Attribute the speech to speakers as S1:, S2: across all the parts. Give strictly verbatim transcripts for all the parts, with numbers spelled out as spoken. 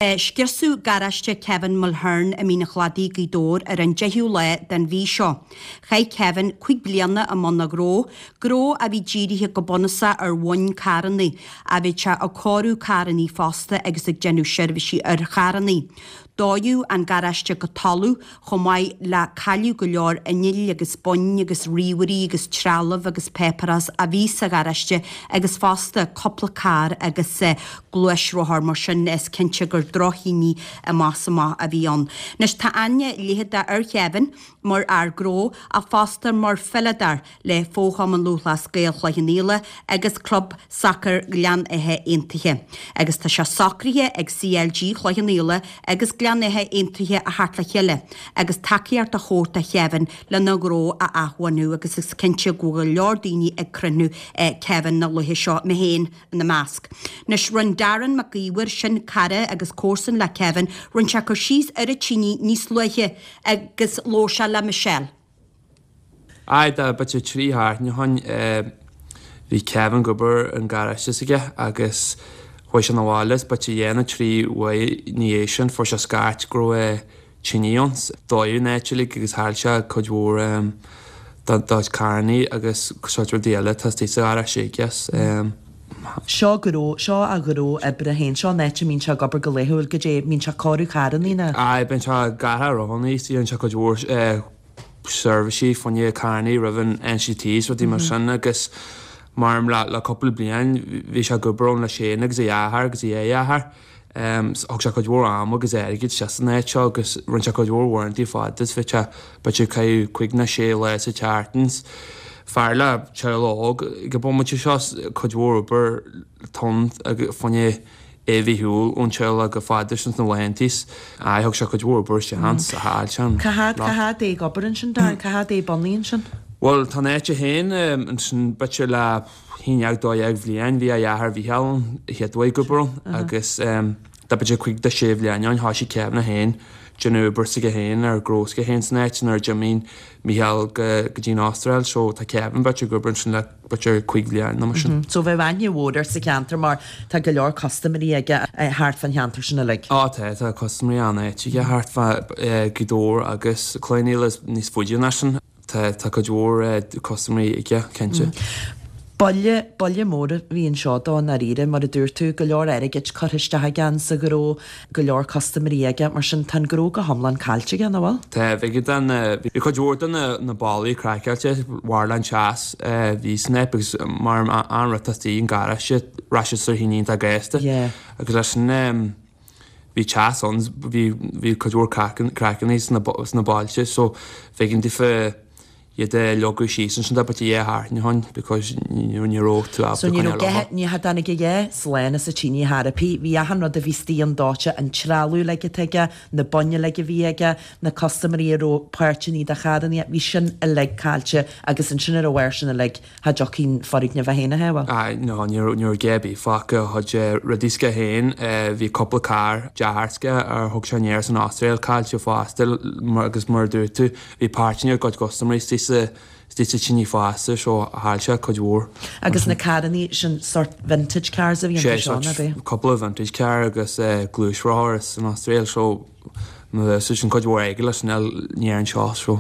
S1: Scriosadh garáiste Kevin Mulhern i Mín an Chladaigh, Gaoth Dobhair ar an deichiú lá den mhí seo. Chaith Kevin cúig bliana i mbun a ghnó, gnó a bhí dírithe go bunúsach ar bhoinn carranna, ach bhí sé ag cóiriú carranna fosta agus ag déanamh seirbhísí ar charranna. Dódh an garáiste go talamh chomh maith le cailleadh go leor innill agus boinn agus ríomhairí agus trealamh agus páipéarachas a bhí sa gharáiste agus fosta cúpla carr agus gluaisrothar mar sin is cinnte gur drochthine amach is amach a bhí ann. Anois tá aithne leitheadach ar Kevin mar fhear gnó ach fosta mar pheileadóir le Fo-Chumann Lúthchleas Gael Chloich Cheann Fhaola agus Club Sacair Ghleann Átha Aontaithe. Agus tá sé socraithe ag CLG Chloich Cheann Fhaola agus Gleann Átha Aontaithe a theacht le chéile agus tacaíocht a thabhairt do Kevin lena ghnó a athbhunú agus is cinnte go bhfuil go leor daoine ag crothú Kevin na laetha seo, mé féin ina measc. Anois rinne Darren Mac Íomhair, sin cara agus comharsan le Kevin, rinne sé cur síos ar an tine níos luaithe agus labhair sé le Michelle.
S2: Aye, tá b'fhéidir trí sheachtaine ó shin bhí Kevin ag obair an garáiste s'aige agus chuaigh sé 'na bhaile is b'fhéidir dhá nó trí uair ina dhiaidh sin fuair sé scairt go raibh tine ann. Dódh an áit uilig agus chaill sé cuid mhór dá chuid carrannaí agus sórt rudaí eile atá istigh sa gharáiste aige.
S3: Seo gnó, seo a ghnó oibre féin, seo an áit a mbíonn sé ag obair go laethúil, goidé, mbíonn sé ag cóiriú carrannaí nó?
S2: Aye, bíonn sé ag athrú rothannaí, is déanann sé cuid mhór seirbhísí fá choinne carrannaí roimh an NCT is rudaí mar sin agus mar le le cúpla bliain bhí sé ag obair ann leis féin agus a dheartháir agus a dheartháir. Thug sé cuid mhór ama agus airgid isteach san áit seo agus rinne sé cuid mhór uaireanta fada is bhí sé b'fhéidir ag caitheamh cúig nó sé lá sa tseachtain. Fear le teaghlach óg ag an bomaite seo cuid mhór obair ann fá choinne é a bheith ar shiúl ón teaghlach go fada sin sna laethantaí. Aye, thug sé cuid mhór obair isteach ann sa chaill sé an
S3: Cá fhad, cá fhad é ag obair ansin, Darren? Cá fhad é bunaithe ansin?
S2: Bhuel, tá an áit féin ansin b'fhéidir le haon dhéag dó dhéag bhliain, bhí a dheartháir Mhícheál ann a chéad uair ag obair ann agus tá b'fhéidir cúig de sé bhliain ann, thoisigh Kevin é féin déanamh obair s'aige féin ar ghnó s'aige féin san áit nuair a d'imigh Mícheál go dtí an Astráil so tá Kevin b'fhéidir ag obair ansin le b'fhéidir cúig bhliain nó mar sin.
S3: So bheadh aithne mhór air sa cheantar mar tá go leor custaiméirí aige thart fán cheantar sin uilig.
S2: Á tá, tá custaiméirí an-áit aige thart fá Gaoth Dobhair agus Cloich Cheann Fhaola is níos faide ná sin. Tá, tá cuid mhór custaiméirí aige, cinnte.
S3: Buille, buille mór a bhí anseo dó i ndáiríre, mar a dúirt tú, go leor airgid curtha isteach aige sa ghnó, go leor custaiméirí aige, mar sin tá an gnó go hiomlán caillte aige, nach bhfuil?
S2: Tá, bhí den, bhí cuid mhór de na, na ballaí craiceáilte, mhair an teas a bhí san aip agus mar an rud atá istigh an garáiste, raibh sé sa thine iontach gasta.
S3: Yeah.
S2: Agus leis sin, bhí teas ann, bhí, bhí cuid mhór craiceanna sna, sna bailte so b'éigean daofa iad a leagadh síos ansin tá b'fhéidir dhá sheachtain ó shin because ní ní raibh tú ábalta
S3: So ní
S2: coinneáil
S3: raibh
S2: orthu.
S3: ní tháinig a dhath slán as an tine ar chor ar bith. Bhí achan rud a bhí istigh ann dóite, an trealamh uilig atá aige, na boinn uilig a bhí aige, na custaiméirí a raibh páirteanna de charranna, bhí sin uilig caillte agus ansin ar a bharr sin uilig, cha dtiocfaidh an foirgneamh é féin a shábháil.
S2: Aye, no, ní raibh, ní raibh a dhath ar bith fágtha, a chuid rudaí s'aige féin, bhí cúpla carr dearthár s'aige ar thug sé aniar as an Astráil caillte fosta mar, agus mar a dúirt tú, bhí páirteanna a gcuid custaiméirí istigh sa, istigh sa tine fosta so chaill sé cuid mhór.
S3: Agus na carrannaí sin sort vintage cars a bhí iontu
S2: Sé,
S3: seo,
S2: sort
S3: ná b'é?
S2: cúpla vintage car agus gluaisrothar as an Astráil so Má sin cuid mhór airgid leis an aniar anseo so.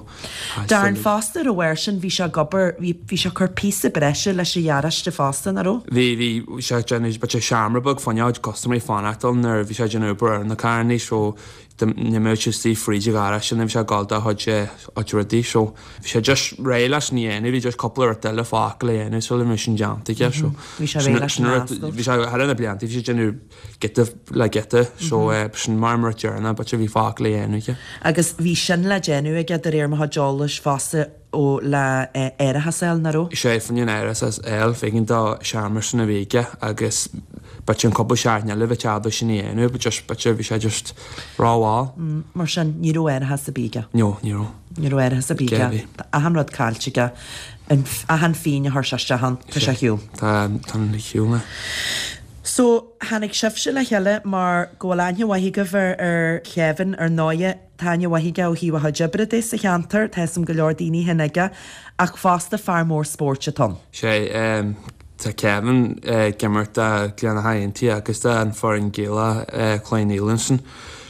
S3: Darren fosta ar a bharr sin bhí sé ag obair, bhí bhí sé ag cur píosa breise leis an gharáiste fosta, nach raibh?
S2: Bhí, bhí, bhí sé ag déanamh b'fhéidir seomra beag fá choinne custaiméirí fanacht ann nuair a bhí sé ag déanamh obair ar na carrannaí so d'imigh sé istigh fríd an gharáiste nuair a bhí sé ag gabháil dá chuid chuid rudaí so bhí sé just réidh leis an dhéanamh, bhí just cúpla rud eile fágtha le dhéanamh sula mbeadh sin déanta aige so
S3: Bhí sé réidh leis an oscailt.
S2: Bhí sé thar na blianta bhí sé ag déanamh giota le giota so sin mar mar deireanach b'fhéidir bhí fágtha le dhéanamh aige.
S3: Agus bhí sin le déanamh aige de réir mo chuid eolais fosta ó le árachas a fháil, nach raibh?
S2: Sé fá choinne an árachas a fháil b'éigean dó seomra sin a bhí aige agus b'fhéidir an cúpla seachtain eile bheadh ábalta sin a dhéanamh but just b'fhéidir bhí sé just rómhall.
S3: Mar sin ní raibh árachas ar bith aige?
S2: No, ní raibh.
S3: Ní raibh árachas ar bith aige. Tá achan rud caillte aige. An achan phingin a chuir sé isteach ann, tá sé ar shiúl.
S2: Tá, tá ar shiúl.
S3: So, tháinig sibhse le chéile mar go bhfuil aithne mhaith agaibh ar ar Kevin, ar ndóighe, tá aithne mhaith aige ó thaobh a chuid oibre de sa cheantar, tá 'fhios a'm go leor daoine féin aige, ach fosta fear mór spóirt atá ann.
S2: Sé, Tá Kevin ag imirt do Gleann Átha Aontaithe agus do an foireann Gaelach Chloich Cheann Fhaola ansin.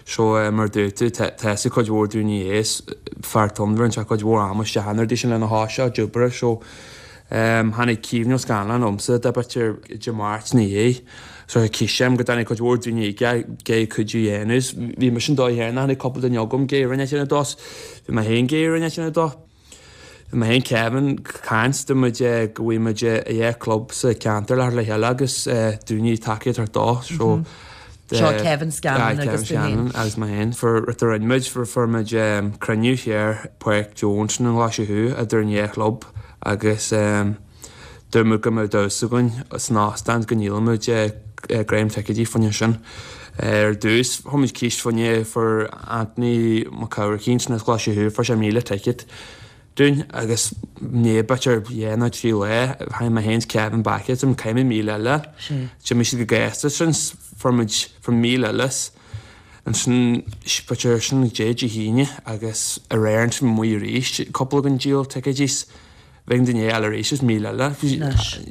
S2: So mar dúirt tú, tá fhios ag cuid mhór daoine é, is fear tonnmhar, rinne sé cuid mhór ama isteach in airde sin lena shá seo, dúbaire. So tháinig Caoimhín Ó Scanláin liomsa de b'fhéidir Dé Máirt ina dhiaidh. So chíos sé go dtáinig cuid mhór daoine ag iarraidh cuidiú a dhéanamh. Bhí mise an dóigh chéanna, tháinig cúpla duine agam ag iarraidh roinnt a dhéanamh dó. Bhí mé féin ag iarraidh roinnt a dhéanamh dó. Bhí mé féin Kevin caint dúirt muid go bhfuil muid i dhá club sa ceantar le le chéile agus daoine tacaíocht a thabhairt dó so
S3: Seo Kevin Scanlon agus tú féin.
S2: Agus mé féin. Fuair rud a rinne muid, fuair fuair muid cruinniú thiar Páirc Joe ansin i nGlaise Thuaidh idir an dhá chlub agus dúirt muid go mbeadh damhsa againn san óstán go ndíolfaidh muid greim ticéidí fá choinne sin. Ar dtús chuir muid císt fá choinne fuair Anthony Mac Eamharcaigh ansin as Glaise Thuaidh fuair sé míle ticéad dúinn agus ní b'fhéidir dhá nó trí lá tháinig mé féin 's Kevin back at him caithfidh muid míle eile. D'imigh siad go gasta sin fuair muid fuair míle eile ansin b'fhéidir sin Dé Dé hAoine agus aréir ansin amuigh arís cúpla againn díol ticéidí 's bheadh an duine eile arís is míle eile.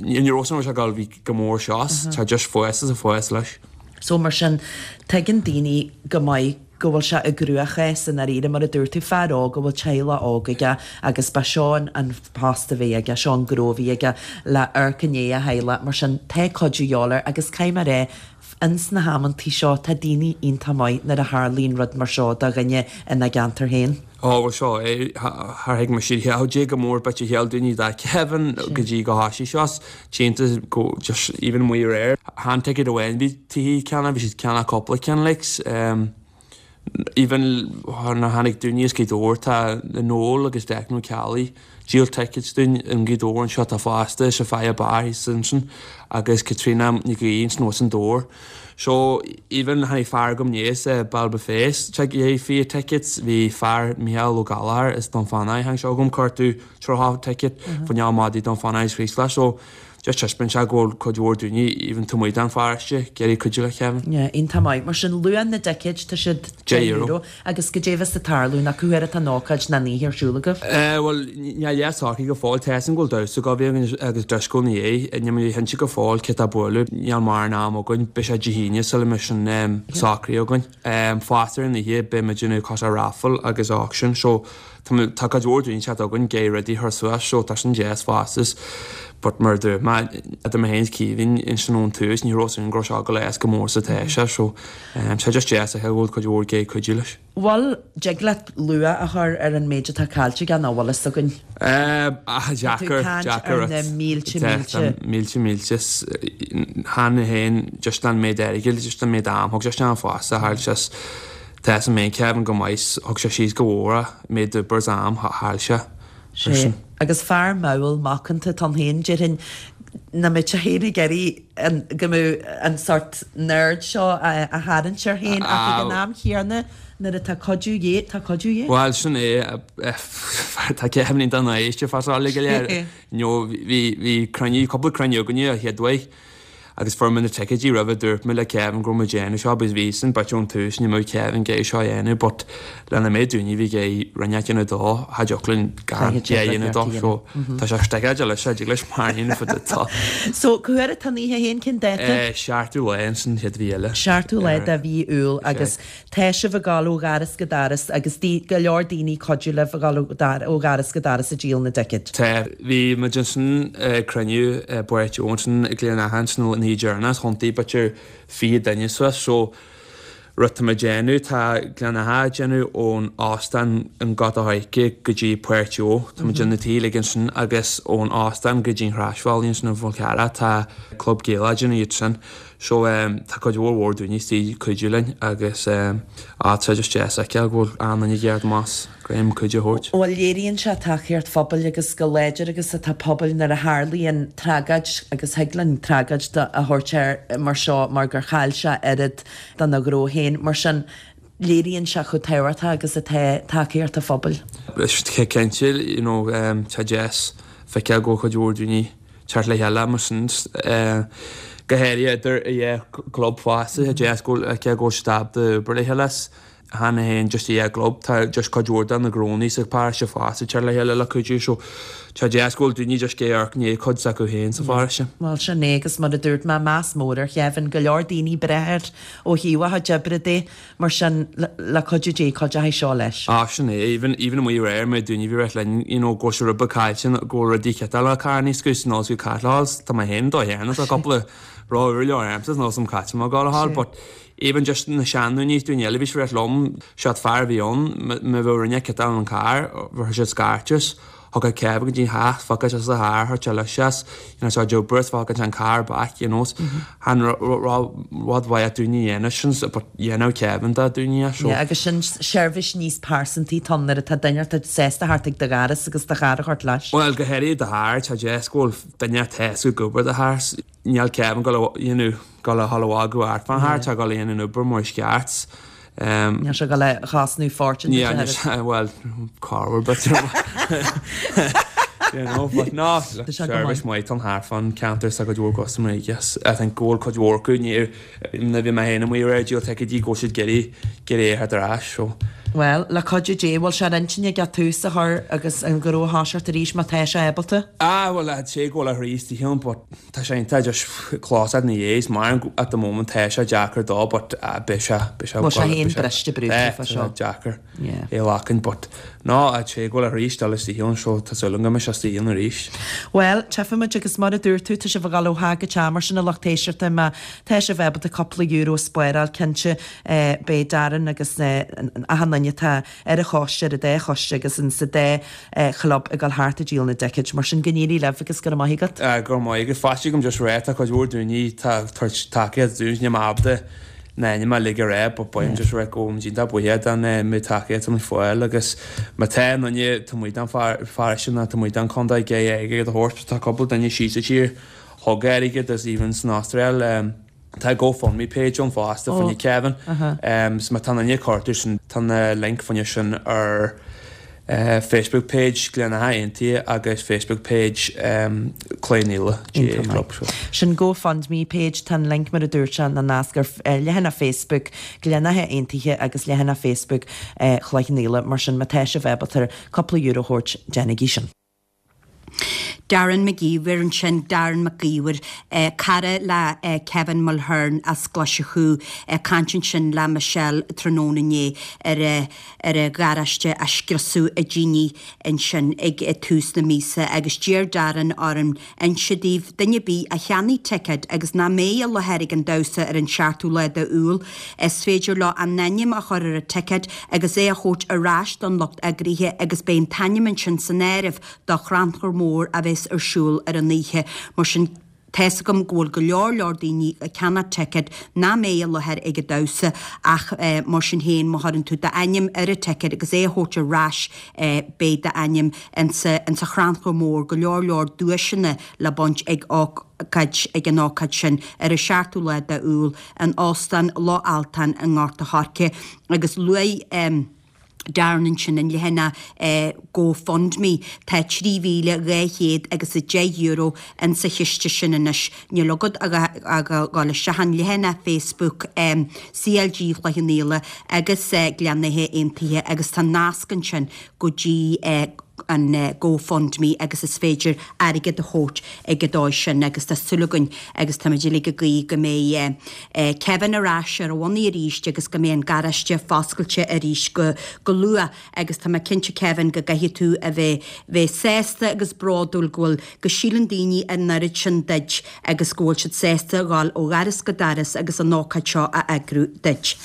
S2: Ní raibh san raibh sé ag dul bhí go mór seo tá just fás is fás leis.
S3: So mar sin tuigeann daoine go maith go bhfuil sé i gcruachás i ndáiríre, mar a dúirt tú, fear óg a bhfuil teaghlach óg aige agus ba seo an post a bhí aige, seo an gnó a bhí aige le amharc i ndiaidh a theaghlaigh, mar sin tá cuidiú de dhíobháil air agus caithfidh mé a rá, ins na hamantaí seo tá daoine iontach maith nuair a tharlaíonn rud mar seo do dhuine ina gceantar féin.
S2: Ó bhuel seo é, char thuig mise riamh goidé chomh mór b'fhéidir a shíl daoine do Kevin go dtí go thoisigh seo, tionta go just even amuigh aréir. Chan ticéad amháin bhí tithe ceannach, bhí siad ceannach cúpla ceann like. Even nuair a tháinig daoine as Gaoth Dobhair tá Noel agus Declan Ó Ceallaigh díol tickets dúinn i nGaoth Dobhair anseo atá fosta is Sophia Barr thíos ansin agus Caitríona Nic Aoidh ansin thuas in Dobhar. So even tháinig fear agam inné as Ballybofey tigh fiche tickets bhí fear Micheál Ó Gallchóir as Dún Fanaidh tháinig sé chugam cuartú tríocha ticket fá choinne maidí Dún Fanaidh is Chraoslach so Just taispeáin sé go bhfuil cuid mhór daoine, even taobh amuigh den pharóiste, ag iarraidh cuidiú le Kevin.
S3: Yeah, iontach maith. Mar sin, luach na dticéid, tá siad
S2: deich euro.
S3: Agus goidé bheas ag tarlú, nó cá huair atá an ócáid nó an oíche ar siúl agaibh?
S2: Eh, bhuel, níl a fhios socraithe go fóill. Tá fhios agam go bhfuil damhsa ag gabháil a bheith againn agus dioscó ina dhiaidh. Níl mé cinnte go fóill cé tá ag bualadh. Níl mórán am againn. Beidh sé Dé hAoine sula mbeidh sin socraithe againn. Fosta ar an oíche, beidh muid ag déanamh cosúil raffle agus auction so tá cuid mhór daoine ag teacht chugainn ag iarraidh rudaí a chur suas so tá sin deas fosta. But mar a dúirt mé, idir mé féin is Caoimhín ansin ón tús, ní raibh fhios againn go raibh sé ag dul as chomh mór is atá sé so tá sé just deas a fheiceáil go bhfuil cuid mhór ag iarraidh cuidiú leis.
S3: Bhuel, dtig leat luach a chur ar an méid atá caillte aige nach bhfuil fhios againn?
S2: Ah,
S3: Tá tú
S2: deacair,
S3: ag caint
S2: deacair
S3: ar na mílte mílte.
S2: Mílte mílte. Chan féin just an méid airgid, just an méid am, thug sé isteach an fosta, chaill sé Tá fhios agam Kevin go maith, thug sé síos go mhór é, méid oibre is am, chaill sé.
S3: Sea, agus fear mall macánta atá ann féin, déarfainn, nach mbeadh sé féin ag iarraidh an, go mbeadh an sórt n-aird seo a tharraingt air féin ach ag an am chéanna nuair atá cuidiú de dhíth, tá cuidiú de dhíth.
S2: Bhuel, sin é, tá Kevin iontach náiste fá seo uilig go léir. You know, bhí, bhí cruinniú, cúpla cruinniú againne a chéad uair. Agus fuair muid na ticéidí roimhe dúirt mé le Kevin go raibh muid déanamh seo because bhí san bit ón tús ní mbeadh Kevin ag iarraidh seo a dhéanamh but lena méid daoine bhí ag iarraidh rud a dhéanamh dó cha dtiocfadh linn gan é a dhéanamh dó so tá sé sticeáilte leis sé dtig leis marine for the top.
S3: So cá huair atá an oíche féin cén dáta?
S2: Eh seachtú lá ins an chéad mhí eile.
S3: Seachtú lá de mhí Iúil agus tá sibh ag dul ó dhoras go doras agus go leor daoine ag cuidiú libh ag dul ó dhoras go doras ag díol na dticéad.
S2: Tá. Bhí muid ansin ag cruinniú i bPáirc Joe ansin i Gleann Átha ansin an oíche dheireanach, thiontaigh b'fhéidir fiche duine suas so rud tá muid déanamh, tá Gleann Átha ag déanamh ón óstán in Gort a' Choirce go dtí Páirc Joe, tá muid déanamh na tithe uilig ansin agus ón óstán go dtí an Chroisbhealaigh ansin i bhFál Carrach tá Club Gaelach ag déanamh iad sin. So tá cuid mhór mhór daoine istigh ag cuidiú linn agus ah tá sé just deas a fheiceáil go bhfuil achan duine ag iarraidh amach greim cuidiú a thabhairt.
S3: Bhuel léiríonn sé tacaíocht phobail agus chomh láidir agus atá pobail nuair a tharlaíonn tragóid agus thig linn tragóid a thabhairt air mar seo mar gur chaill sé oiread dena ghnó féin mar sin léiríonn sé chomh tábhachtach agus atá tacaíocht an phobail.
S2: Cinnte you know tá deas feiceáil go bhfuil cuid mhór daoine teacht le chéile mar sin go háirithe idir an dhá chlub fosta, tá deas go bhfuil cé go bhfuil siad ábalta obair le chéile. Chan é just é gclub tá just cuid mhór de na gnónna sa pharóiste fosta ag teacht le chéile le cuidiú so tá deas go bhfuil daoine just ag amharc i ndiaidh cuid s'acu féin sa pharóiste.
S3: Bhuel sin é agus mar a dúirt mé meas mór ar Kevin go leor daoine breith air ó thaobh a chuid oibre de mar sin le cuidiú Dé cuideoidh seo leis.
S2: Ah sin é even even amuigh aréir mé daoine bhí rith linn you know go bhfuil sé rud beag caillte go bhfuil rudaí ciotáil le carrannaí sgus nó go caitleáil tá mé féin dó dhéanamh tá cúpla rud úr leo agamsa nó some caite má gá a but even just na seandaoine daoine eile bhí sé rith liom siad fear a bhí ann má bheadh rinne ciotáil an carr bheadh siad scairteas thug Kevin go dtí theach fágfaidh sé sa charr thar teile seas you know so jobbers fágfaidh an car back you know han rud mhaith daoine dhéanamh sin but dhéanamh Kevin dá daoine so.
S3: Yeah, agus sin seirbhís níos pearsantaí tá nuair atá duine atá sásta theacht ag do dhoras agus do charr a thabhairt leis.
S2: Well go háirithe do charr tá deas go bhfuil duine atá ag obair do charr níl Kevin go you know go le halháú art fan thar tá go le an obair mar is ceart.
S3: Um, Níl sé go le chosnú fortune
S2: Yeah, well car but you know, but no service maith an thart fan ceantar sa go dtúr customer yes I think go bhfuil cuid mhór acu ní na bhí mé féin amuigh ar díol ticéidí go siad ag iarraidh é ar ais so.
S3: Well, le cuidiú Dé bhfuil sé ar intinn aige tús a chur agus an gnó a thoiseacht arís má tá sé ábalta?
S2: Ah well sé go le arís ann but tá sé tá just closad na dhéis mar at the moment tá sé deacair dó but uh, beidh sé beidh sé
S3: Bhfuil sé féin briste brúite fá seo.
S2: deacair é lacan but ná a sé go le arís dul istigh ann so tá súil agam go mbeidh sé istigh ann arís.
S3: Well, tchífimid agus mar a dúirt tú tá sibh ag dul ó theach go teach mar sin a lucht éisteachta má tá sibh ábalta cúpla euro a spáráil cinnte eh, beidh Darren agus eh, achan duine atá ar a choiste ar a dá choiste agus in sa dá eh, chlub ag dul thart ag díol na dticéid mar sin go n-éirí libh agus go raibh maith agat.
S2: Uh, go maith agus fáiste gom just ré tá cuid mhór daoine tá tacaíocht dúinn ní ábalta na ma lig ré but bain just ré go iontach buíoch den méid tacaíocht an fáil agus má tá duine tá muid an pharóiste na tá muid an contae ag aige a thabhairt tá cúpla duine síos sa tír thug airgead agus even san Astráil um, Tá GoFundMe page ann fosta oh. faoin Kevin um, so má tá duine cuartú sin tá na link faoin sin ar uh, Facebook page Gleann Átha Aontaithe agus Facebook page um, Cloich Cheann Fhaola Club. So.
S3: Sin GoFundMe page tá an link mar a dúirt sé na nasc ar eh, leathanach Facebook Gleann Átha Aontaithe agus leathanach Facebook eh, Chloich Cheann Fhaola mar sin má tá sibh ábalta cúpla euro a thabhairt déanaigí sin.
S1: Darren McGeever ansin Darren McGeever eh, cara le eh, Kevin Mulhern as Glaisiú eh, caint ansin le Michelle tráthnóna inné ar eh, ar a gharáiste a scriosadh i dtine ansin ag eh, tús na míosa agus d'iarr Darren orm inse daoibh duine ar bith a cheannaigh ticéad agus nach mbeidh i láthair ag an damhsa ar an seachtú lá d'Iúil is féidir leo a n-ainm a chur ar a ticéad agus é a thabhairt ar ais don lucht eagraithe agus beidh an t-ainm ansin san áireamh do chrannchur mór a bheas ar siúl ar an oíche mar sin tá a fhios agam go bhfuil go leor leor daoine ag ceannach ticéad nach mbeidh i láthair ag an damhsa ach eh, mar sin féin má chuireann tú d'ainm ar an ticéad agus é a thabhairt ar ais eh, beidh d'ainm insa insa chrannchur mór go leor leor duaiseanna le baint ag ócáid ag an ócáid sin ar an seachtú lá d'Iúil in Óstán Loch Altáin i nGort a' Choirce agus luaigh um, Darren ansin an leathanach eh, GoFundMe tá trí mhíle dhá chéad agus a deich euro in sa chiste sin anois. Níl agat ach a ghabháil isteach an leathanach Facebook um, CLG Chloich Cheann Fhaola agus uh, Gleann Átha Aontaithe agus tá nasc ansin go dtí uh, an uh, GoFundMe agus is féidir airgead a thabhairt ag an dóigh sin agus tá súil againn agus tá muid ag guí go mbeidh uh, uh, Kevin ar ais ar a bhonnaí arís agus go mbeidh an garáiste foscailte arís go, go luath agus tá mé cinnte Kevin go gcaithfidh tú a bheith bheith sásta agus bródúil go bhfuil go síleann daoine an oiread sin duit agus go bhfuil siad sásta dhul ó dhoras go doras agus an ócáid seo a eagrú duit.